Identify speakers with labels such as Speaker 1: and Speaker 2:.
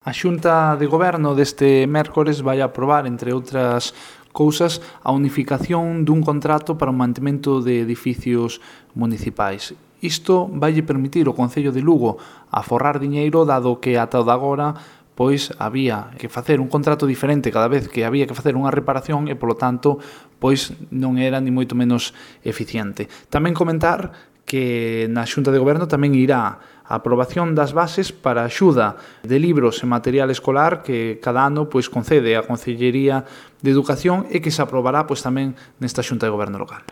Speaker 1: A Xunta de Goberno deste mércores vai aprobar, entre outras cousas, a unificación dun contrato para o mantemento de edificios municipais. Isto vai permitir ao Concello de Lugo aforrar diñeiro, dado que ata o de agora pois había que facer un contrato diferente cada vez que había que facer unha reparación e, polo tanto, pois non era ni moito menos eficiente. Tamén comentar que na Xunta de Goberno tamén irá a aprobación das bases para a axuda de libros e material escolar que cada ano pois concede a Concellería de Educación e que se aprobará pois tamén nesta Xunta de Goberno local.